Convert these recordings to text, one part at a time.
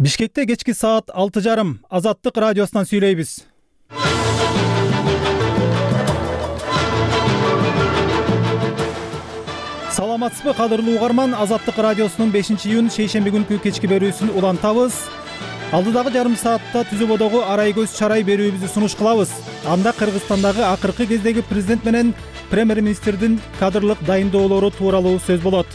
Бишкекте кечки саат 6:30 Азаттык радиосунан сүйлөйбүз. Саламатсызбы кадырлуу угарман, Азаттык радиосунун 5-июнь шейшемби күнкү кечки берүүсүн улантабыз. Алдыдагы жарым саатта Түзөбодогу арай көз чарай берүүбүздү сунуш кылабыз. Анда Кыргызстандагы акыркы кездеги президент менен премьер-министрдин кадрлык дайындоолору тууралуу сөз болот.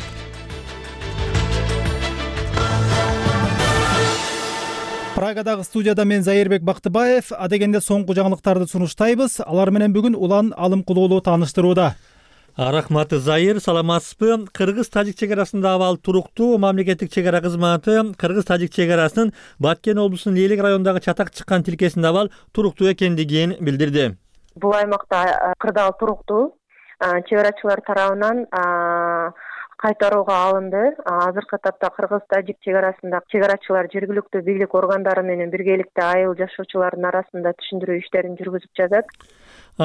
Прагадагы студияда мен Зайырбек Бактыбаев, адегенде соңку жаңылыктарды сунуштайбыз. Алар менен бүгүн Улан Алым Кулуулу тааныштырууда. Рахмат Зайыр, саламатсызбы? Кыргыз-тажик чек арасында абал туруктуу. Мамлекеттик чек ара кызматы Кыргыз-тажик чек арасынын Баткен облусунун Элек районундагы чатак чыккан тилкесинде абал туруктуу экендигин билдирди. Бул аймакта кырдаал туруктуу. Чек арачылар тарабынан кайтарууга алынды. Азыркы этапта Кыргыз-тажик чек арасында чек арачылар жергиликтүү бийлик органдары менен биргеликте айыл жашоочулардын арасында түшүндүрүү иштерин жүргүзүп жатат,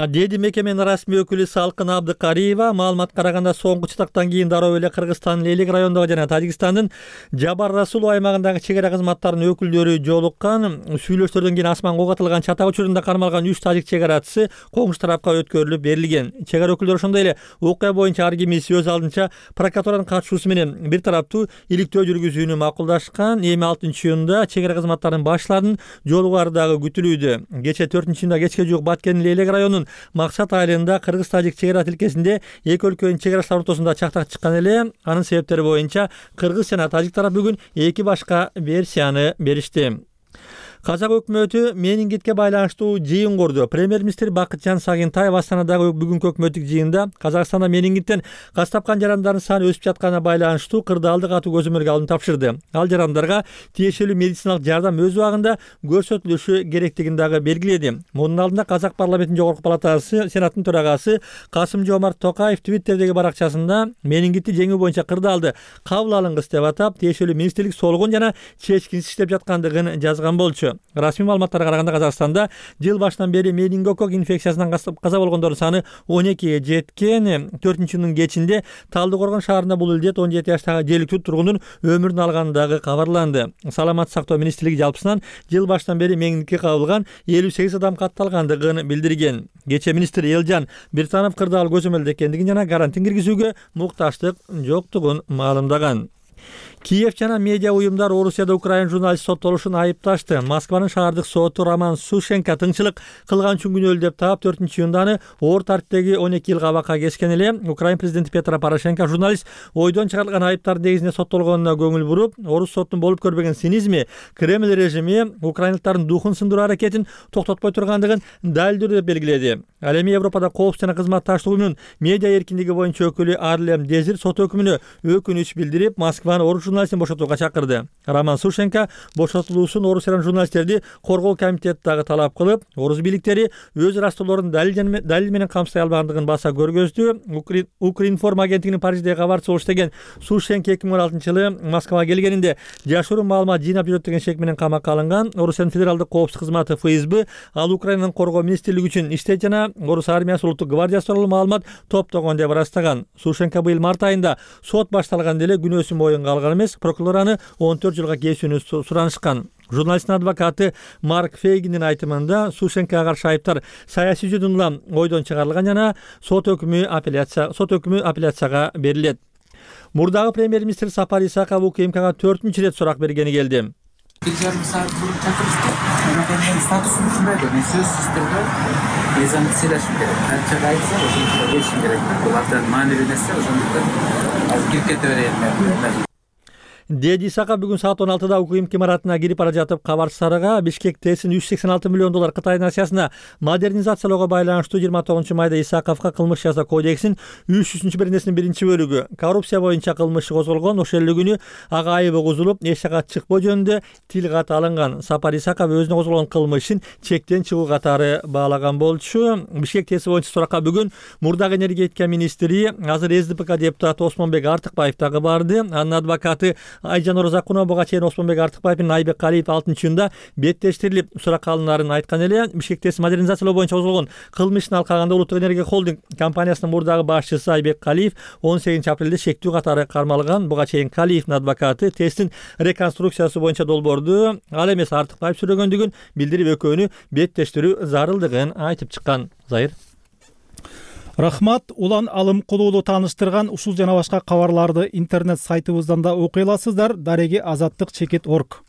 деди мекеменин расмий өкүлү Салкын Абдыкариева. Маалыматка караганда соңку чатактан кийин дароо эле Кыргызстандын Элек районундагы жана Тажикстандын Жабар Расул аймагындагы чек ара кызматтарынын өкүлдөрү жолуккан. Сүйлөшүүлөрдөн кийин асманга ок атылган чатак учурунда кармалган 3 тажик чек арачысы коңшу тарапка өткөрүлүп берилген. Чек ара өкүлдөрү ошондой эле окуя боюнча ар кимиси өз алдынча прокуратуранын катышуусу менен бир тараптуу иликтөө жүргүзүүнү макулдашкан. Эми 6-июнда чек ара кызматтарынын башчыларынын жолугары дагы күтүлүүдө. Кече 4-июнда кечке жуук Баткендин Элек районунун Максат айылында Кыргыз-тажик чек ара тилкесинде эки өлкөнүн чек арачылар ортосунда чактак чыккан эле. Анын себептери боюнча кыргыз жана тажик тарап бүгүн эки башка версияны беришти. Казак өкмөтү менингитке байланыштуу жыйын курду. Премьер-министр Бакытжан Сагынтаев Астанадагы бүгүнкү өкмөттүк жыйында Казакстанда менингиттен каз тапкан жарандардын саны өсүп жатканына байланыштуу кырдаалды катуу көзөмөлгө алууну тапшырды. Ал жарандарга тиешелүү медициналык жардам өз убагында көрсөтүлүшү керектигин дагы белгиледи. Мунун алдында Казак парламентинин жогорку палатасы Сенаттын төрагасы Касым-Жомарт Токаев Твиттердеги баракчасында менингитти жеңүү боюнча кырдаалды кабыл алынгыс деп атап, тиешелүү министрлик солгун жана чечкинсиз иштеп жаткандыгын жазган болчу. Расмий маалыматтарга караганда Казакстанда жыл башынан бери менингокок инфекциясынан каза болгондордун саны 12ге жеткен. 4-июндун кечинде Талдыкоргон шаарында бул илдет 17 жаштагы жергиликтүү тургундун өмүрүн алгандыгы кабарланды. Саламаттык сактоо министрлиги жалпысынан жыл башынан бери менингитке кабылган 58 адам катталгандыгын билдирген. Кече министр Элжан Биртанов кырдаал көзөмөлдө экендигин жана карантин киргизүүгө муктаждык жоктугун маалымдаган. Киев жана медиа уюмдар Орусияда Украин журналист соттолушун айыпташты. Москванын шаардык соту Роман Сушенко тыңчылык кылган үчүн күнөөлүү деп таап 4-июнда аны оор тартиптеги 12 жыл абакка кескен эле. Украин президенти Петро Порошенко журналист ойдон чыгарылган айыптардын негизинде соттолгонуна көңүл буруп, орус соттун болуп көрбөгөн цинизми, Кремль режими украиндыктардын духун сындыруу аракетин токтотпой тургандыгын далилдөө деп белгиледи. Ал эми Европада коопсуздук жана кызматташтык уюмунун медиа эркиндиги боюнча өкүлү Арлем Дезир сот өкүмүнө өкүнүч билдирип, Москваны орус журналистин бошотууга чакырды. Роман Сушенко бошотулуусун Орусиянын журналисттерди коргоо комитети дагы талап кылып, орус бийликтери өз растоолорун далил менен камсыздай албагандыгын баса көргөздү. Укринформ агенттигинин Париждеги кабарчысы болуш деген Сушенко 2016-жылы Москвага келгенинде жашыруун маалымат жыйнап жүрөт деген шек менен камакка алынган. Орусиянын федералдык коопсуздук кызматы ФСБ ал Украинанын коргоо министрлиги үчүн иштейт жана орус армиясы улуттук гвардиясы тууралуу маалымат топтогон деп ырастаган. Сушенко быйыл март айында сот башталганда эле күнөөсүн моюнга алган эмес. Прокурор аны 14 жылга кесүүнү суранышкан. Журналисттин адвокаты Марк Фейгиндин айтымында Сушенкого каршы айыптар саясий жөнүндө улам ойдон чыгарылган жана сот өкүмү апелляцияга берилет. Мурдагы премьер-министр Сапар Исаков УКМКга 4-үнчү рет сурак бергени келди. Bir yarım saat bunu çakırıştı. Benim statusum şundaydı. Ben söz sistemde ezan söyleşim gerek. Her şey ayıpsa o zaman geçim gerek. Bu hatta manevi nesne o zaman az girket öğrenmem. Деди Исаков бүгүн саат 16-да УКМК имаратына кирип бара жатып кабарчыларга Бишкек ТЭСин $186 миллион Кытайдын акциясына модернизациялоого байланыштуу 29-майда Исаковго кылмыш жаза кодексинин 300-беренесинин 1-бөлүгү коррупция боюнча кылмышы козголгон. Ошол эле күнү ага айыбы козулуп, эч жакка чыкпоо жөнүндө тил кат алынган. Сапар Исаков өзүнө козголгон кылмышын чектен чыгуу катары баалаган болчу. Бишкек ТЭСи боюнча суракка бүгүн мурдагы энергетика министри, азыр СДПК депутаты Осмонбек Артыкбаев дагы барды. Анын адвокаты Айжан Оразакунова буга чейин Осмонбек Артыкбаев менен Айбек Калиев 6-июнда беттештирилип суракка алынарын айткан эле. Бишкекте модернизациялоо боюнча козголгон кылмыш ишин алкаганда Улуттук энергия холдинг компаниясынын мурдагы башчысы Айбек Калиев 18-апрелде шектүү катары кармалган. Буга чейин Калиевдин адвокаты ТЭСтин реконструкциясы боюнча долбоорду ал эмес Артыкбаев сүрөгөндүгүн билдирип, экөөнү беттештирүү зарылдыгын айтып чыккан. Зайыр. Рахмат. Улан Алым Кулуулу тааныштырган ушул жана башка кабарларды интернет сайтыбыздан да окуй аласыздар. Дареги azatlyk.org.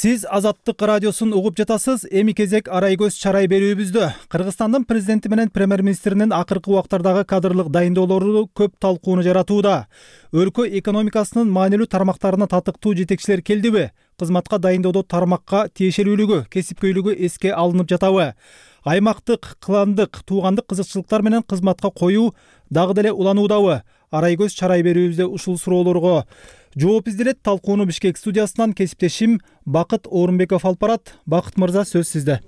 Сиз Азаттык радиосун угуп жатасыз. Эми кезек арай көз чарай берүүбүздө. Кыргызстандын президенти менен премьер-министринин акыркы убактардагы кадрлык дайындоолору көп талкууну жаратууда. Өлкө экономикасынын маанилүү тармактарына татыктуу жетекчилер келдиби? Кызматка дайындоодо тармакка тиешелүүлүгү, кесипкөйлүгү эске алынып жатабы? Аймактык, кландык, туугандык кызыкчылыктар менен кызматка коюу дагы деле улануудабы? Арай көз чарай берүүбүздө ушул суроолорго жооп изделет. Талкууну Бишкек студиясынан кесиптешим Бакыт Орунбеков алып барат. Бакыт мырза, сөз сизде.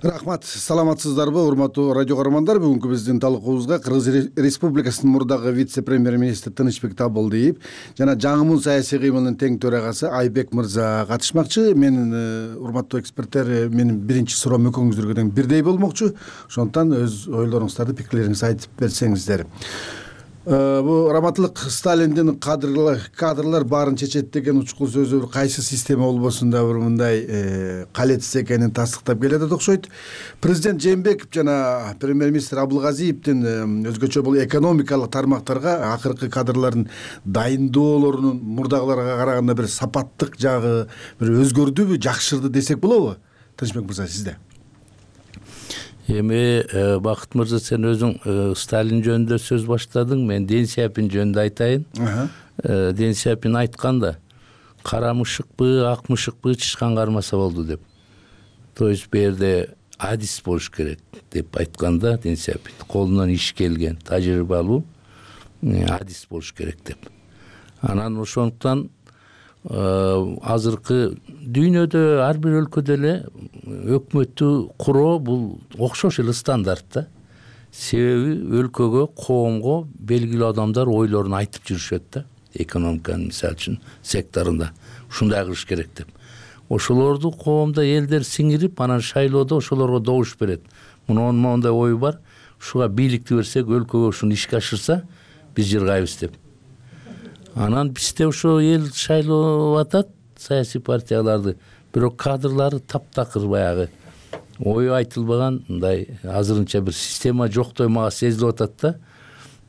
Рахмат. Саламатсыздарбы, урматтуу радио көрөрмандар? Бүгүнкү биздин талкуубузга Кыргыз Республикасынын мурдагы вице-премьер-министри Тынычбек Табылдиев жана жаңымун саясий кыймылдын тең төрагасы Айбек мырза катышмакчы. Менин урматтуу эксперттер, менин биринчи суроом экөөңүздөргө тең бирдей болмокчу. Ошондуктан өз ойлоруңуздарды, пикирлериңизди айтып берсеңиздер. Бу раматлык Сталиндин кадрлар баарын чечет деген учкул сөзү кайсы система болбосун да бир мындай калетсиз экенин тастыктап келет окшойт. Президент Жээнбеков жана премьер-министр Абылгазиевдин өзгөчө бул экономикалык тармактарга акыркы кадрлардын дайындоолорунун мурдагыларга караганда бир сапаттык жагы бир өзгөрдүбү, жакшырды десек болобу? Тынычбек мырза, сизде. Эми Бакыт мырза, сен өзүң Сталин жөнүндө сөз баштадың, мен Ден Сяопин жөнүндө айтайын. Ден Сяопин айтканда, кара мышыкпы, ак мышыкпы чычкан кармаса болду деп. То есть бу жерде адис болуш керек деп айтканда, Ден Сяопин колунан иш келген, тажрыйбалуу адис болуш керек деп. Анан ошондуктан азыркы дүйнөдө ар бир өлкөдө эле өкмөттү куруу бул окшош эле стандарт да. Себеби өлкөгө, коомго белгилүү адамдар ойлорун айтып жүрүшөт да. Экономиканын мисалы үчүн секторунда ушундай кылыш керек деп. Ошолорду коомдо элдер сиңирип, анан шайлоодо ошолорго добуш берет. Мунун моундай ою бар, ушуга бийликти берсек, өлкөгө ушуну ишке ашырса, биз жыргайбыз деп. Анан бизде ошо эл шайлоо атат, саясий партияларды, бирок кадрлары таптакыр баягы ою айтылбаган, мындай азырынча бир система жоктой мага сезилип атат да.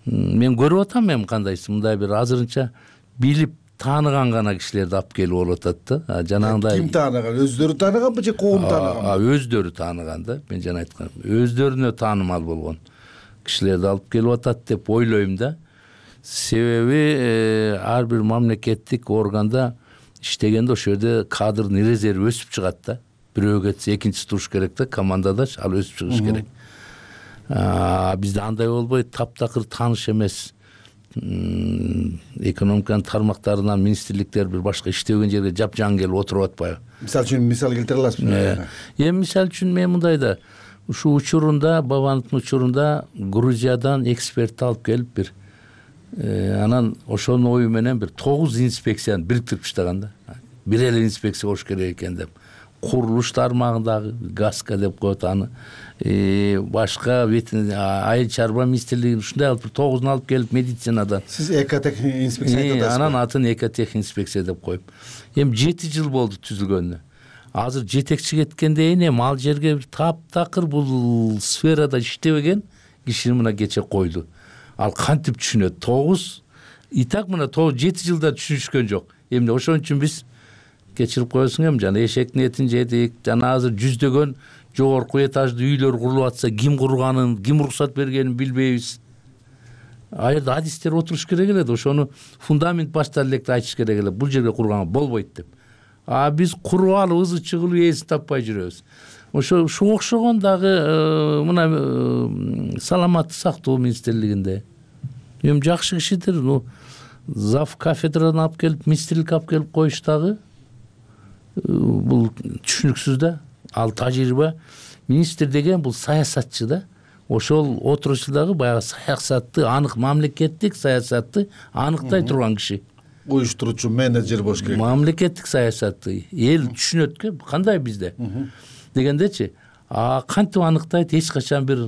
Мен көрүп атам, эми кандайсы мындай бир азырынча билип тааныган гана кишилерди алып келип болуп атат да. Жанагындай ким тааныган? Өздөрү тааныганбы же коом тааныганбы? Өздөрү тааныган да. Мен жана айткам, өздөрүнө таанымал болгон кишилерди алып келип атат деп ойлойм да. Себеби ар бир мамлекеттик органда иштегенде ошол жерде кадрдын резерви өсүп чыгат да. Бирөө кетсе экинчиси туруш керек да, командада ал өсүп чыгыш керек. Бизде андай болбойт, таптакыр тааныш эмес экономиканын тармактарынан министрликтер бир башка иштеген жерге жапжаң келип отуруп атпайбы? Мисалы үчүн мисал келтире аласызбы? Эми мисалы үчүн мен мындай да, ушу учурунда, Бабановдун учурунда Грузиядан эксперт алып келип бир анан ошонун ою менен бир 9 инспекцияны бириктирип таштаган да. Бир эле инспекция болуш керек экен деп. Курулуш тармагындагы ГАСКа деп коет аны. Башка айыл чарба министрлигин ушундай алып 9-ун алып келип медицинадан. Сиз экотех инспекция айтып атасызбы? Анан атын экотех инспекция деп коюп. Эми 7 жыл болду түзүлгөнүнө. Азыр жетекчи кеткенден кийин ал жерге таптакыр бул сферада иштебеген кишини мына кече койду. Ал кантип түшүнөт? 9 и так мына 7 жылда түшүнүшкөн жок. Эмне ошон үчүн биз кечирип коесуң эми жана эшектин этин жедик. Жана азыр жүздөгөн жогорку этажды үйлөр курулуп атса, ким курганын, ким уруксат бергенин билбейбиз. Аерде адистер отуруш керек эле, ошону фундамент баштан электе айтыш керек эле. Бул жерге курганга болбойт деп. Биз куруп алып ызы чыгылып эсин таппай жүрөбүз. Ошо окшогон дагы мына саламаттык сактоо министрлигинде эми жакшы кишидир. Зав кафедрадан алып келип, министрлик алып келип коюш дагы бул түшүнүксүз да. ал тажрыйба министр деген бул саясатчы да. Ошол отурушудагы баягы саясатты анык, мамлекеттик саясатты аныктай турган киши. Уюштуруучу менеджер болуш керек. Мамлекеттик саясатты эл түшүнөт, кандай бизде дегендечи. Кантип аныктайт, эч качан бир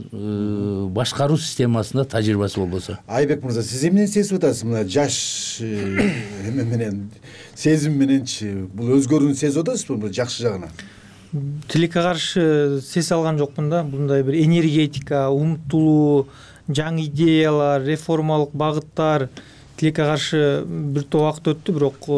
башкаруу системасында тажрыйбасы болбосо. Айбек мырза, сиз эмнени сезип атасыз мына жаш эме менен, сезим мененчи? Бул өзгөрүүнү сезип атасызбы жакшы жагынан? Тилекке каршы сезе алган жокмун да. Мындай бир энергетика, умтулуу, жаңы идеялар, реформалык багыттар тилекке каршы бир топ убакыт өттү, бирок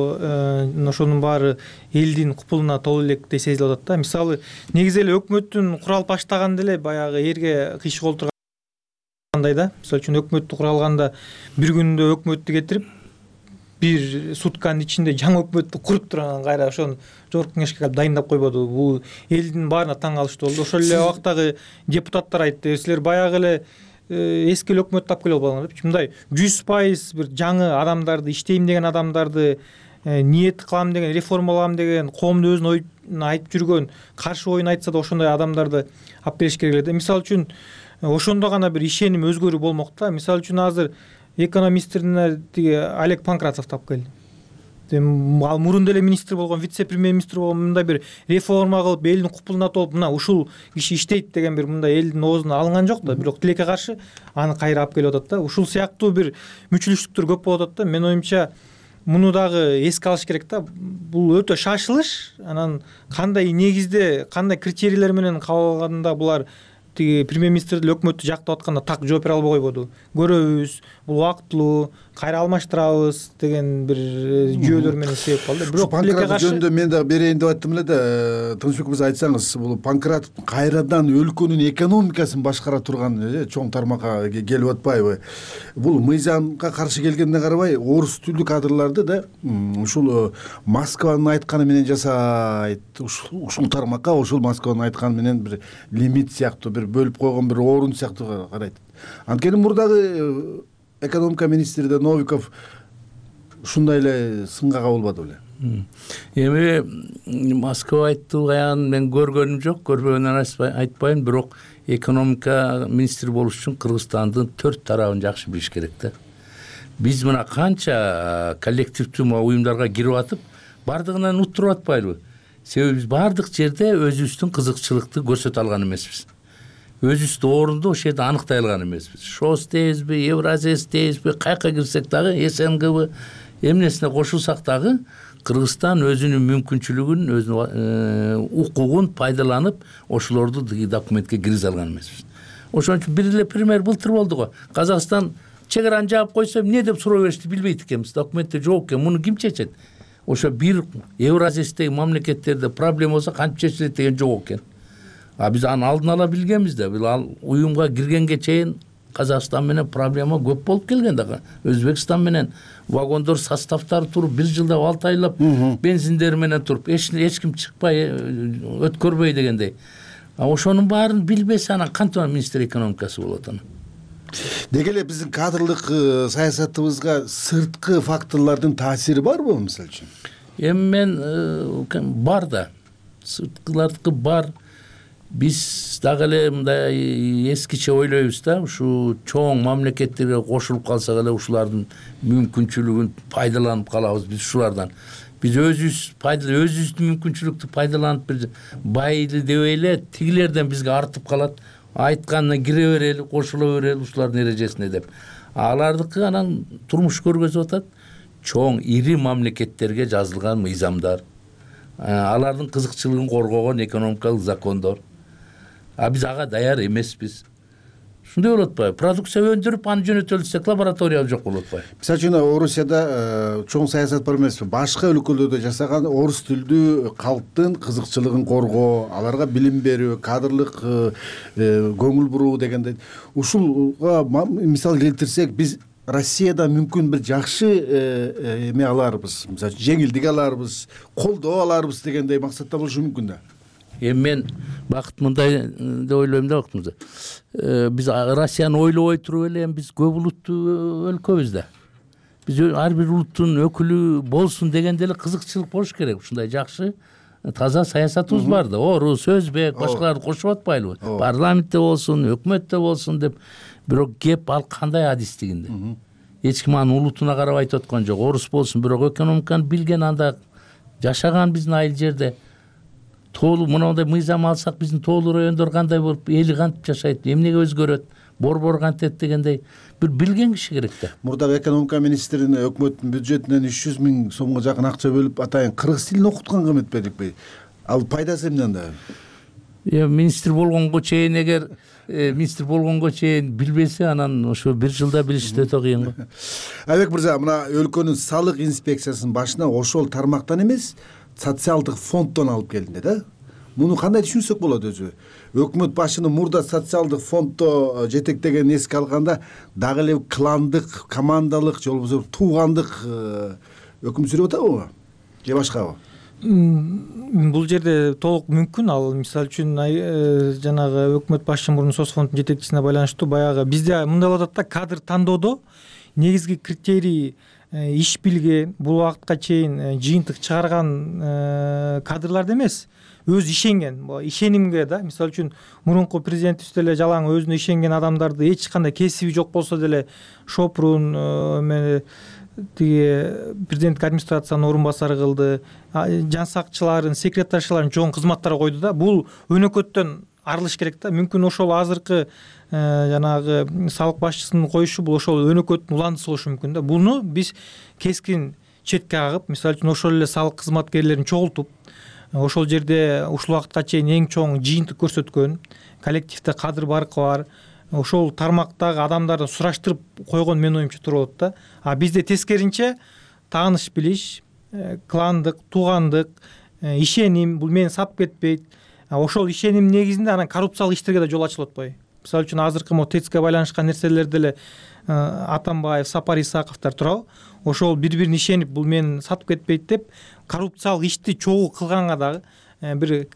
ошонун баары элдин купулуна толуу электе сезилип атат да. Мисалы, негизи эле өкмөттүн куралып баштаганда эле баягы эрге кыйшык болуп тургандай да. Мисалы үчүн өкмөттү куралганда бир күндө өкмөттү кетирип, бир сутканын ичинде жаңы өкмөттү куруп турган кайра ошону жогорку кеңешке калып дайындап койбоду. Бул элдин баарына таң калыштуу болду. Ошол эле убактагы депутаттар айтты, силер баягы эле эски эле өкмөттү алып келип албаңар депчи. Мындай 100% бир жаңы адамдарды, иштейм деген адамдарды, ниет кылам деген, реформалам деген, коомдун өзүнүн оюн айтып жүргөн, каршы оюн айтса да ошондой адамдарды алып келиш керек эле. Мисалы үчүн ошондо гана бир ишеним, өзгөрүү болмок да. Мисалы үчүн азыр экономистерине тиги Олег Панкратовду алып келди. Ал мурун деле министр болгон, вице-премьер-министр болгон, мындай бир реформа кылып, элдин купулуна толуп, мына ушул киши иштейт деген бир мындай элдин оозуна алынган жок да. Бирок тилекке каршы аны кайра алып келип атат да. Ушул сыяктуу бир мүчүлүштүктөр көп болуп атат да. Менин оюмча муну дагы эске алыш керек да. Бул өтө шашылыш, анан кандай негизде, кандай критерийлер менен кабыл алганда булар тиги премьер-министр деле өкмөттү жактап атканда так жооп бере албай койбоду. Көрөбүз, бул убактылуу, кайра алмаштырабыз деген бир жүйөлөр менен себеп болду. Бирок Панкратов жөнүндө мен дагы берейин деп аттым эле да. Тынычбек мырза, айтсаңыз, бул Панкратов кайрадан өлкөнүн экономикасын башкара турган чоң тармакка келип атпайбы? Бул мыйзамга каршы келгенине карабай, орус тилдүү кадрларды да ушул Москванын айтканы менен жасайт. Ушул тармакка ошол Москванын айтканы менен бир лимит сыяктуу, бир бөлүп койгон бир орун сыяктуу карайт. Анткени мурдагы экономика министри да Новиков ушундай эле сынга кабылбады беле? Эми Москва айтты аягын мен көргөнүм жок, көрбөгөндөн айтпайм, бирок экономика министри болуш үчүн Кыргызстандын 4 тарабын жакшы билиш керек да. Биз мына канча коллективдүү уюмдарга кирип атып, бардыгынан уттуруп атпайлыбы? Себеби биз бардык жерде өзүбүздүн кызыкчылыкты көрсөтө алган эмеспиз. Өзүбүздү орунду ошол жерде аныктай алган эмеспиз. ШОС дейбизби, Евразес дейбизби, кайка кирсек дагы, СНГбы эмнесине кошулсак дагы Кыргызстан өзүнүн мүмкүнчүлүгүн, өзүнүн укугун пайдаланып, ошолорду документке киргизе алган эмеспиз. Ошон үчүн бир эле пример былтыр болду го. Казакстан чегараны жаап койсо, эмне деп суроо беришти билбейт экенбиз. Документте жок экен, муну ким чечет? Ошо бир Евразестеги мамлекеттерде проблема болсо кантип чечилет деген жок экен. Биз аны алдын ала билгенбиз да. Ал уюмга киргенге чейин Казакстан менен проблема көп болуп келген дагы. Өзбекстан менен вагондор составдары туруп, бир жылдап 6 айлап бензиндери менен туруп, эч ким чыкпай, өткөрбөй дегендей. Ошонун баарын билбесе, анан кантип министр экономикасы болот анан? Деги эле биздин кадрлык саясатыбызга сырткы факторлордун таасири барбы, мисалы үчүн? Эми мен бар да. Сырткылардыкы бар. Биз дагы эле мындай эскиче ойлойбуз да, ушу чоң мамлекеттерге кошулуп калсак эле ушулардын мүмкүнчүлүгүн пайдаланып калабыз биз ушулардан. Биз өзүбүздүн мүмкүнчүлүктү пайдаланып бир байды дебей эле тигилерден бизге артып калат. Айтканына кире берели, кошула берели ушулардын эрежесине деп. Алардыкы анан турмуш көргөзүп атат. Чоң ири мамлекеттерге жазылган мыйзамдар, алардын кызыкчылыгын коргогон экономикалык закондор. Биз ага даяр эмеспиз. Ушундай болуп атпайбы? Продукция өндүрүп, аны жөнөтөлү десек, лаборатория жок болуп атпайбы? Мисалы үчүн Орусияда чоң саясат бар эмеспи? Башка өлкөлөрдө жасаган орус тилдүү калктын кызыкчылыгын коргоо, аларга билим берүү, кадрлык көңүл буруу дегендей. Ушулга мисал келтирсек, биз Россияда мүмкүн бир жакшы эме аларбыз, мисалы жеңилдик аларбыз, колдоо аларбыз дегендей максатта болушу мүмкүн да. Эми мен бакыт мындай деп ойлойм да, бактымызда. Биз Россияны ойлобой туруп эле биз көп улуттуу өлкөбүз да. Биз ар бир улуттун өкүлү болсун дегенде эле кызыкчылык болуш керек. Ушундай жакшы таза саясатыбыз бар да. Орус, өзбек, башкаларды кошуп атпайлыбы? Парламентте болсун, өкмөттө болсун деп. Бирок кеп ал кандай адистигинде. Эч ким анын улутуна карап айтып аткан жок. Орус болсун, бирок экономиканы билген, анда жашаган биздин айыл жерде. Тоолуу мындай мыйзам алсак, биздин тоолуу райондор кандай болуп, эли кантип жашайт, эмнеге өзгөрөт, борбор кантет дегендей бир билген киши керек да. Мурдагы экономика министрин өкмөттүн бюджетинен 300 000 сомго жакын акча бөлүп атайын кыргыз тилин окуткан кым этпедикпи? Ал пайдасы эмне анда? Министр болгонго чейин, эгер министр болгонго чейин билбесе, анан ошо бир жылда билишти өтө кыйын го. Айбек мырза, мына өлкөнүн салык инспекциясынын башына ошол тармактан эмес, социалдык фонддон алып келди да. Муну кандай түшүнсөк болот өзү? Өкмөт башынын мурда социалдык фонддо жетектегенин эске алганда дагы эле кландык, командалык же болбосо туугандык өкүм сүрүп атабы же башкабы? Бул жерде толук мүмкүн. Ал мисалы үчүн жанагы өкмөт башчы мурун соцфонддун жетекчисине байланыштуу баягы бизде мындай болуп атат да, кадр тандоодо негизги критерий иш билген, бул убакытка чейин жыйынтык чыгарган кадрларды эмес, өз ишенген, ишенимге да. Мисалы үчүн мурунку президентибиз деле жалаң өзүнө ишенген адамдарды эч кандай кесиби жок болсо деле Шопрун тиги президенттик администрациянын орун басары кылды, жан сакчыларын, секретаршыларын чоң кызматтарга койду да. Бул өнөкөттөн арылыш керек да. Мүмкүн ошол азыркы жанагы салык башчысынын коюшу бул ошол өнөкөттүн уландысы болушу мүмкүн да. Буну биз кескин четке кагып, мисалы үчүн ошол эле салык кызматкерлерин чогултуп, ошол жерде ушул убакытка чейин эң чоң жыйынтык көрсөткөн, коллективде кадр баркы бар, ошол тармактагы адамдарды сураштырып койгон менин оюмча туура болот да. А бизде тескеринче тааныш билиш, кландык, туугандык, ишеним, бул мени сатып кетпейт. Ошол ишеним негизинде анан коррупциялык иштерге да жол ачылып атпайбы? Мисалы үчүн азыркы ТЭЦКе байланышкан нерселерде эле Атамбаев, Сапар Исаковдор турабы? Ошол бири-бирин ишенип, бул мени сатып кетпейт деп коррупциялык ишти чогуу кылганга дагы, бир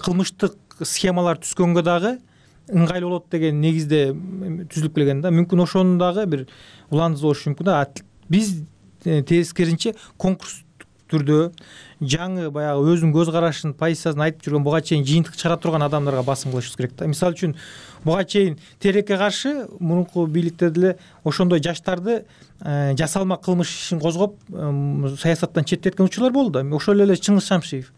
кылмыштык схемалар түзгөнгө дагы ыңгайлуу болот деген негизде түзүлүп келген да. Мүмкүн ошонун дагы бир уландысы болушу мүмкүн да. Биз тескеринче конкурс түрдө жаңы баягы өзүнүн көз карашын, позициясын айтып жүргөн, буга чейин жыйынтык чыгара турган адамдарга басым кылышыбыз керек да. Мисалы үчүн буга чейин телекке каршы мурунку бийликте деле ошондой жаштарды жасалма кылмыш ишин козгоп саясаттан четтеткен учурлар болду да. Ошол эле Чыңгыз Шамшиев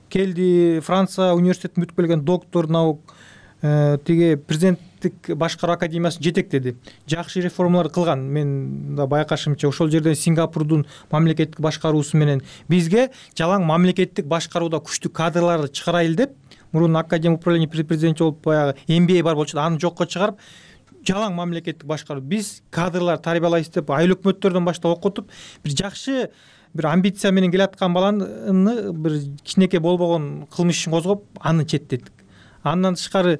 келди, Франция университетин бүтүп келген доктор наук, тиги президенттик башкаруу академиясын жетектеди, жакшы реформалар кылган. Мен да байкашымча ошол жерден Сингапурдун мамлекеттик башкаруусу менен бизге жалаң мамлекеттик башкарууда күчтүү кадрларды чыгарайлы деп, мурун академия управления президентчи болуп баягы MBA бар болчу, аны жокко чыгарып, жалаң мамлекеттик башкаруу, биз кадрлар тарбиялайбыз деп айыл өкмөттөрдөн баштап окутуп, бир жакшы бир амбиция менен келаткан баланы бир кичинекей болбогон кылмыш ишин козгоп, аны четтеттик. Андан тышкары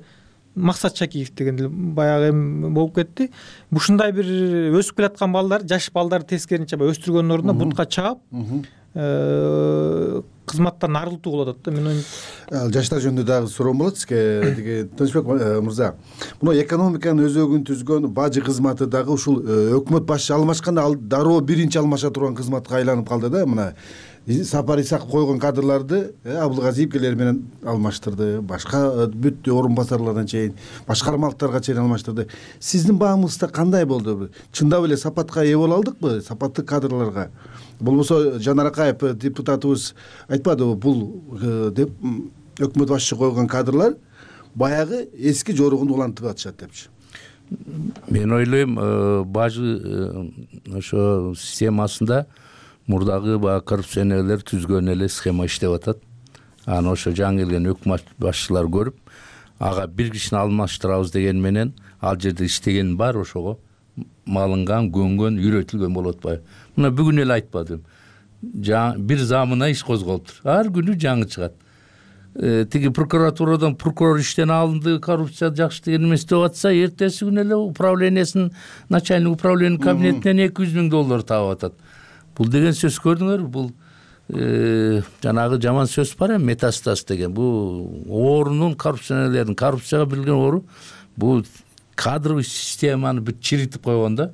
Максат Шакиев деген баягы болуп кетти. Ушундай бир өсүп келаткан балдар, жаш балдарды тескеринче өстүргөндүн ордуна бутка чаап, кызматтан арылтуу болот да. Мен жаштар жөнүндө дагы суроом болот сизге. Тиги Тынычбек мырза, мына экономиканын өзөгүн түзгөн бажы кызматы дагы ушул өкмөт башчы алмашканда ал дароо биринчи алмаша турган кызматка айланып калды да. Мына Сапар Исаков койгон кадрларды Абылгазиев келер менен алмаштырды, башка бүт орун басарлардан чейин, башкармалыктарга чейин алмаштырды. Сиздин баамыңызда кандай болду? Чындап эле сапатка ээ боло алдыкпы, сапаттуу кадрларга? Болбосо Жанар Акаев депутатыбыз айтпадыбы, бул деп өкмөт башчы койгон кадрлар баягы эски жоругун улантып атышат депчи. Мен ойлойм, бажы ошо системасында мурдагы баягы коррупционерлер түзгөн эле схема иштеп атат. Аны ошо жаңы келген өкмөт башчылар көрүп, ага бир кишини алмаштырабыз деген менен ал жерде иштеген бар, ошого малынган, көнгөн, үйрөтүлгөн болуп атпайбы? Мына бүгүн эле айтпадым. Бир замына иш козголуптур. Ар күнү жаңы чыгат. Тиги прокуратурадан прокурор иштен алынды, коррупция жакшы деген эмес деп атса, эртеси күнү эле управлениясынын начальник управлениянын кабинетинен $200,000 таап атат. Бул деген сөз көрдүңөр, бул жанагы жаман сөз бар эми, метастаз деген. Бул оорунун коррупционерлердин, коррупцияга билген оору, бул кадровый системаны бүт чиритип койгон да.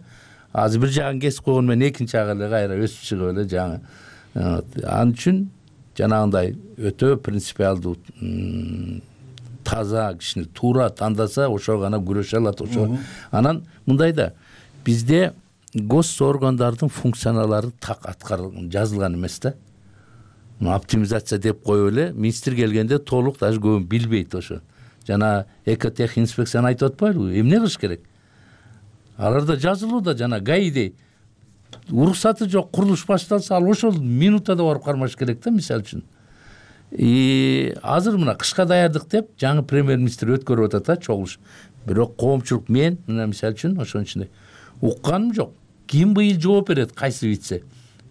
Азыр бир жагын кесип койгон менен экинчи жагы эле кайра өсүп чыгып эле жаңы. Ал үчүн жанагындай өтө принципиалдуу таза кишини туура тандаса ошого гана күрөшө алат. Ошо анан мындай да бизде гос органдардын функциялары так жазылган эмес да. Оптимизация деп коюп эле министр келгенде толук даже көбүн билбейт ошо. Жана экотех инспекцияны айтып атпайлыбы? Эмне кылыш керек? Аларда жазылууда жана гаидей уруксаты жок, курулуш башталса ал ошол минутада барып кармаш керек да, мисалы үчүн. Азыр мына кышка даярдык деп жаңы премьер-министр өткөрүп атат чогулуш. Бирок коомчулук мен мына мисалы үчүн ошонун ичинде укканым жок. Ким быйыл жооп берет, кайсы вице?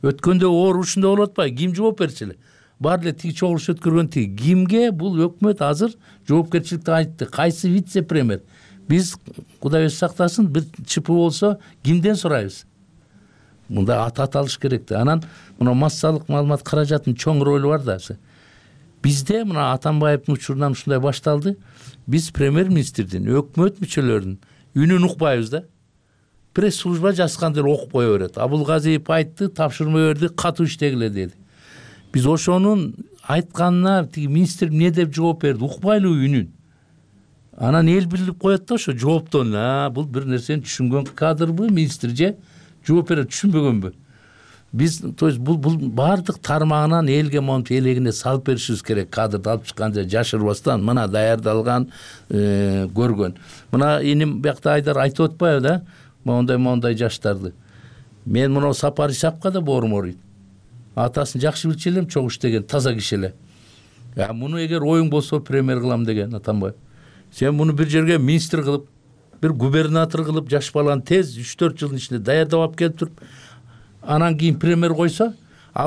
Өткөндө оор ушундай болуп атпайбы? Ким жооп берчү эле? Бар эле тиги чогулуш өткөргөн тиги. Кимге бул өкмөт азыр жоопкерчиликти айтты? Кайсы вице премьер? Биз Кудай өзү сактасын, бир ЧП болсо кимден сурайбыз? Мында аталыш керек да. Анан мына массалык маалымат каражатынын чоң ролу бар да. Бизде мына Атамбаевдин учурунан ушундай башталды. Биз премьер-министрдин, өкмөт мүчөлөрүнүн үнүн укпайбыз да. Пресс-служба жазганда окуп кое берет. Абылгазиев айтты, тапшырма берди, катуу иштегиле деди. Биз ошонун айтканына тиги министр эмне деп жооп берди, укпайлыбы үнүн. Анан эл билип коет да ошо жооптон, бул бир нерсени түшүнгөн кадрбы, министр же жооп берет, түшүнбөгөнбү? Биз то есть бул бардык тармагынан элге монтип элегине салып беришибиз керек. Кадрды алып чыкканда жашырбастан мына даярдалган, көргөн. Мына иним биякта Айдар айтып атпайбы да? Мондай жаштарды. Мен мына Сапар Исаковго да боорум ооруйт. Атасын жакшы билчү элем, чогуу иштеген, таза киши эле. Муну эгер оюң болсо премьер кылам деген Атамбаев. Сен муну бир жерге министр кылып, бир губернатор кылып, жаш баланы тез 3-4 жылдын ичинде даярдап алып келип туруп, анан кийин премьер койсо,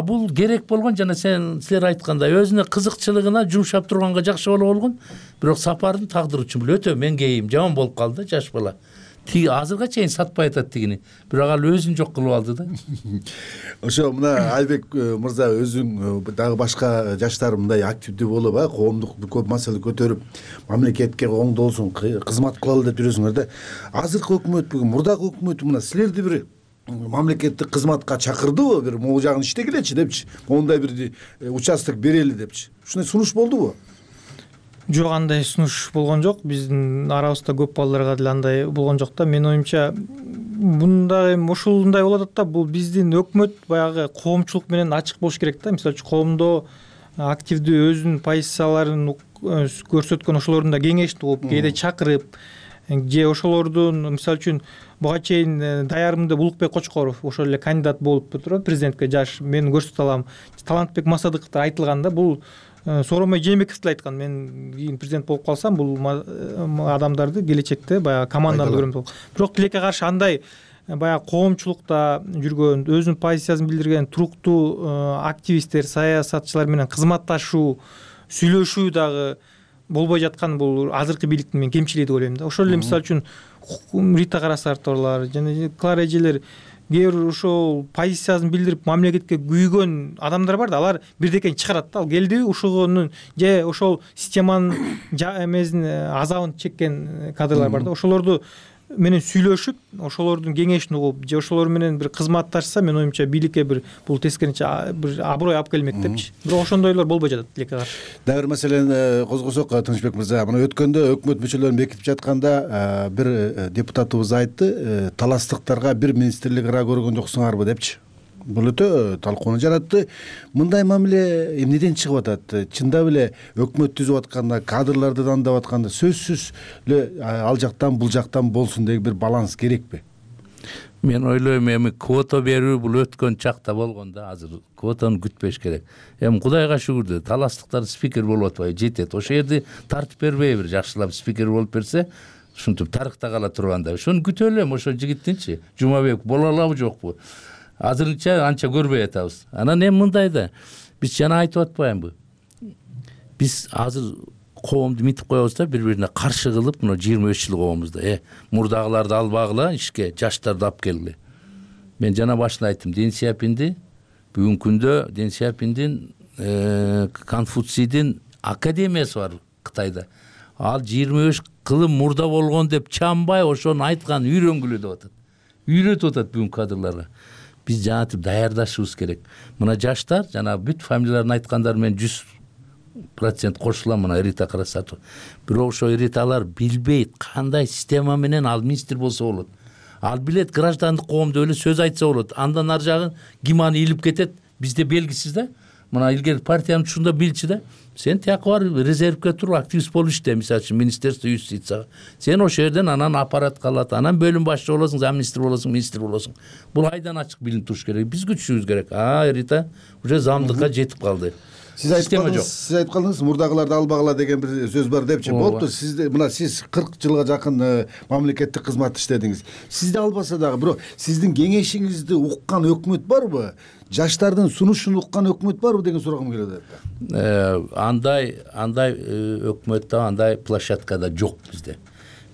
бул керек болгон жана силер айткандай өзүнө кызыкчылыгына жумшап турганга жакшы боло болгон. Бирок Сапардын тагдыры үчүн бул өтө меңгейим, жаман болуп калды жаш бала. Тиги азырга чейин сатпай атат тигини. Бирок ал өзүн жок кылып алды да. Ошо мына Айбек мырза өзүң дагы башка жаштар мындай активдүү болуп, коомдук көп маселе көтөрүп, мамлекетке оңдолсун, кызмат кылалы деп жүрөсүңөр да. Азыркы өкмөт бүгүн мурдагы өкмөт мына силерди бир мамлекеттик кызматка чакырдыбы, бир могу жагын иштегилечи депчи, мондай бир участок берели депчи. Ушундай сунуш болдубу? Жок, андай сунуш болгон жок. Биздин арабызда көп балдарга деле андай болгон жок да. Менин оюмча мындай ушундай болуп атат да. Бул биздин өкмөт баягы коомчулук менен ачык болуш керек да. Мисалы үчүн коомдо активдүү өзүнүн позицияларын көрсөткөн ошолордун да кеңешин угуп, кээде чакырып, же ошолордун мисалы үчүн буга чейин даярымды Улукбек Кочкоров ошол эле кандидат болуп туруп президентке жаш мен көрсөтө алам. Талантбек Масадыковдор айтылган да. Бул Сооронбай Жээнбеков деле айткан, мен кийин президент болуп калсам бул адамдарды келечекте баягы команданы көрөм деп. Бирок тилекке каршы андай баягы коомчулукта жүргөн, өзүнүн позициясын билдирген туруктуу активисттер, саясатчылар менен кызматташуу, сүйлөшүү дагы болбой жаткан бул азыркы бийликтин мен кемчилиги деп ойлойм да. Ошол эле мисалы үчүн Рита Карасарторлор жана Клара эжелер кээ бир ошол позициясын билдирип мамлекетке күйгөн адамдар бар да, алар бирдекени чыгарат да. Ал келдиби ушугунун же ошол системанын эмесин азабын чеккен кадрлар бар да. Ошолорду менен сүйлөшүп, ошолордун кеңешин угуп, же ошолор менен бир кызматташса, мен оюмча бийликке бир бул тескерисинче бир аброй алып келмек депчи. Бирок ошондойлор болбой жатат тилекке каршы. Дагы бир маселени козгосок, Тынычбек мырза, мына өткөндө өкмөт мүчөлөрүн бекитип жатканда бир депутатыбыз айтты, таластыктарга бир министрлик ара көргөн жоксуңарбы депчи. Бул өтө талкууну жаратты. Мындай мамиле эмнеден чыгып атат? Чындап эле өкмөт түзүп атканда, кадрларды дандап атканда сөзсүз эле ал жактан бул жактан болсун деген бир баланс керекпи? Мен ойлойм, эми квота берүү бул өткөн чакта болгон да, азыр квотаны күтпөш керек. Кудайга шүгүр, таластыктар спикер болуп атпайбы, жетет. Ошол жерди тартып бербейби, бир жакшылап спикер болуп берсе, ушинтип тарыхта кала турганда. Ошону күтө элем, ошол жигиттинчи. Жумабек боло алабы, жокпу? Азырынча анча көрбөй атабыз. Анан эми мындай да, биз жана айтып атпаймынбы? Биз азыр коомду митип коебуз да, бири-бирине каршы кылып, мына 25 жыл коомуз да. Мурдагыларды албагыла, ишке жаштарды алып келгиле. Мен жана башында айттым, Дэн Сяопинди бүгүнкү күндө Дэн Сяопиндин Конфуцийдин академиясы бар Кытайда. Ал 25 кылым мурда болгон деп чамбай ошону айткан үйрөнгүлө деп атат. Үйрөтүп атат бүгүнкү кадрларга. биз жанагынтип даярдашыбыз керек. Мына жаштар жанагы бүт фамилияларын айткандар мен 100% кошулам. Мына Рита Красатова. Бирок ошо Риталар билбейт кандай система менен ал министр болсо болот. Ал билет граждандык коомдо эле сөз айтса болот. Андан ар жагын ким аны илип кетет бизде белгисиз да. Мына илгери партиянын ушунда билчи да. Сен тияка бар резервге туруп активист болуп иште, мисалы үчүн министерство юстицияга. Сен ошол жерден анан аппарат калат, анан бөлүм башчы болосуң, замминистр болосуң, министр болосуң. Бул айдан ачык билинип туруш керек. Биз күчүшүбүз керек. Рита уже замдыкка жетип калды. Сиз айтып калдыңыз, мурдагыларды албагыла деген бир сөз бар депчи. Болупту, сиз 40 жылга жакын мамлекеттик кызмат иштедиңиз. Сизди албаса дагы, бирок сиздин кеңешиңизди уккан өкмөт барбы? Жаштардын сунушун уккан өкмөт барбы деген сурагым келет. Андай өкмөт да, андай площадка да жок бизде.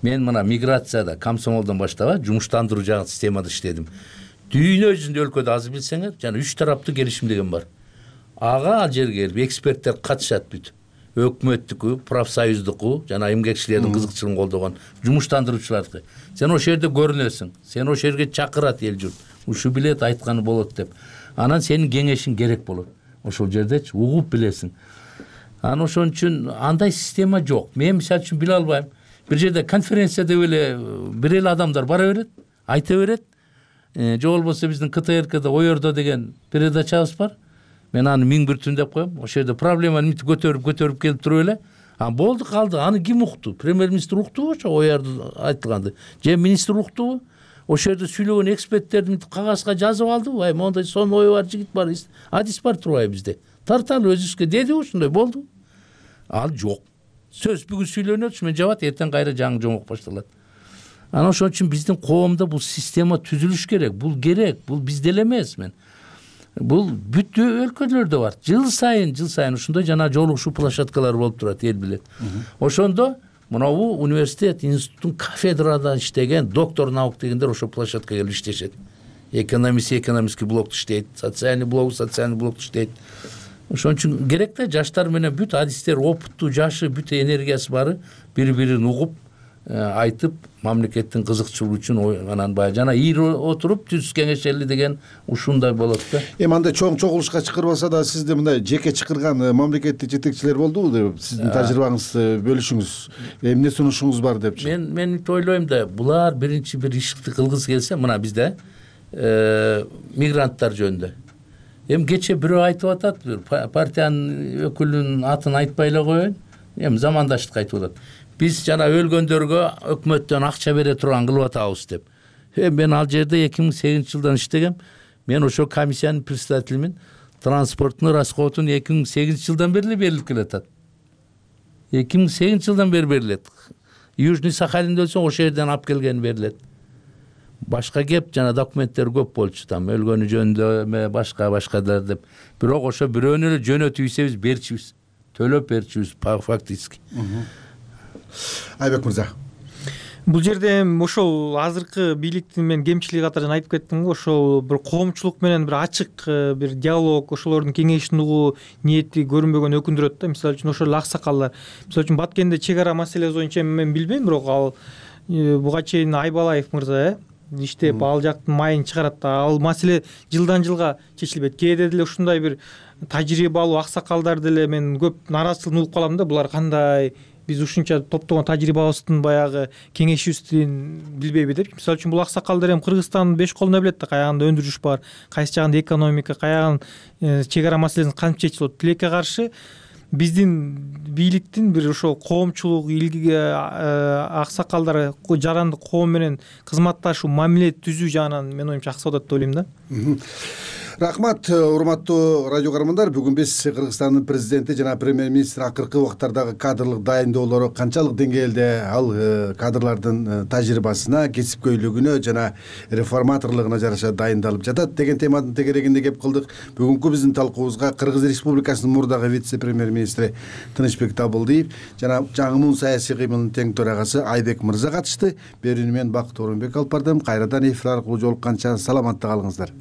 Мен мына миграцияда, комсомолдон баштап, жумуштандыруу жагы системада иштедим. Дүйнө жүзүндө өлкөдө азыр билсеңер, жана 3 тараптуу келишим деген бар. Ага ал жерге келип эксперттер катышат бүт. Өкмөттүкү, профсоюздуку, жана эмгекчилердин кызыкчылыгын колдогон жумуштандыруучулардыкы. Сен ошол жерде көрүнөсүң. Сен ошол жерге чакырат эл журт. Ушу билет айтканы болот деп. Анан сенин кеңешиң керек болот. Ошол жердечи угуп билесиң. Анан ошон үчүн андай система жок. Мен мисалы үчүн биле албайм. Бир жерде конференция деп эле бир эле адамдар бара берет, айта берет. Же болбосо биздин КТРКда Оердо деген передачабыз бар. Мен аны 1000 түн деп коем. Ошол жерде проблеманы мынтип көтөрүп келип туруп эле. Болду калды. Аны ким укту? Премьер-министр уктубу ошо Оердо айтылганды? Же министр уктубу? Ошол жерде сүйлөгөн эксперттерди мынтип кагазга жазып алдыбы? Ай, мондай сон ою бар жигит бар, адис бар турбайбы бизде? Тарталы өзүбүзгө деди ушундай болду. Ал жок. Сөз бүгүн сүйлөнөт, ушу менен жабат, эртең кайра жаңы жомок башталат. Анан ошон үчүн биздин коомдо бул система түзүлүш керек. Бул керек. Бул бизде эле эмес мен. Бул бүт өлкөлөрдө бар. Жыл сайын ушундай жана жолугушуу площадкалары болуп турат, эл билет. Ошондо мынабу университет, институттун кафедрада иштеген доктор наук дегендер ошол площадкага келип иштешет. Экономический блок иштейт, социальный блок иштейт. Ошон үчүн керек да жаштар менен бүт адистер, опыттуу, жашы, бүт энергиясы бары бири-бирин угуп, айтып, мамлекеттин кызыкчылыгы үчүн анан баягы жана ийри отуруп түз кеңешели деген ушундай болот да. Андай чоң чогулушка чакырбаса да сизде мындай жеке чакырган мамлекеттик жетекчилер болдубу деп сиздин тажрыйбаңызды бөлүшүңүз. Эмне сунушуңуз бар депчи. Мен ойлойм да, булар биринчи бир ишти кылгысы келсе, мына бизде мигранттар жөнүндө. Кече бирөө айтып атат, партиянын өкүлүнүн атын айтпай эле коеюн. Замандаштык айтып атат. Биз жана өлгөндөргө өкмөттөн акча бере турган кылып атабыз деп. Мен ал жерде 2008-жылдан иштегем. Мен ошо комиссиянын председателимин. Транспорттун расходун 2008-жылдан бери берилип келатат. 2008-жылдан бери берилет. Южный Сахалинде өлсөң ошол жерден алып келген берилет. Башка кеп жана документтер көп болчу, там өлгөнү жөнүндө башкалар деп. Бирок ошо бирөөнү эле жөнөтүп ийсебиз берчүбүз. Төлөп берчүбүз фактически. Айбек мырза. Бул жерде ошол азыркы бийликтин мен кемчилиги катары айтып кеттим го, ошол бир коомчулук менен бир ачык бир диалог, ошолордун кеңешин угуу ниети көрүнбөгөн өкүндүрөт да. Мисалы үчүн ошол аксакалдар. Мисалы үчүн Баткенде чек ара маселеси боюнча мен билбейм, бирок ал буга чейин Айбалаев мырза иштеп ал жактын майын чыгарат да. Ал маселе жылдан жылга чечилбейт. Кээде деле ушундай бир тажрыйбалуу аксакалдар деле мен көп нааразычылыгын угуп калам да. Булар кандай биз ушунча топтогон тажрыйбабыздын баягы кеңешибиздин билбейби деп. Мисалы үчүн бул аксакалдар Кыргызстандын 5 колуна билет да, каягында өндүрүш бар, кайсы жагында экономика, каягын чек ара маселесин кантип чечилет. Тилекке каршы биздин бийликтин бир ошол коомчулук аксакалдар жарандык коом менен кызматташуу, мамиле түзүү жагынан мен оюмча аксап атат деп ойлойм да. Рахмат, урматтуу радио көрөрмандар. Бүгүн биз Кыргызстандын президенти жана премьер-министр акыркы убактардагы кадрлык дайындоолору канчалык деңгээлде ал кадрлардын тажрыйбасына, кесипкөйлүгүнө жана реформаторлугуна жараша дайындалып жатат деген теманын тегерегинде кеп кылдык. Бүгүнкү биздин талкуубузга Кыргыз Республикасынын мурдагы вице-премьер-министри Тынычбек Табылдиев жана жаңы саясий кыймылдын тең төрагасы Айбек мырза катышты. Берүүнү мен Бакыт Орунбек алып бардым. Кайрадан эфир аркылуу жолукканча саламатта калыңыздар.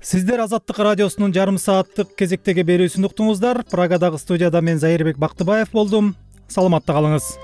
Сиздер Азаттык радиосунун жарым сааттык кезектеги берүүсүн уктуңуздар. Прагадагы студияда мен Зайырбек Бактыбаев болдум. Саламатта калыңыз.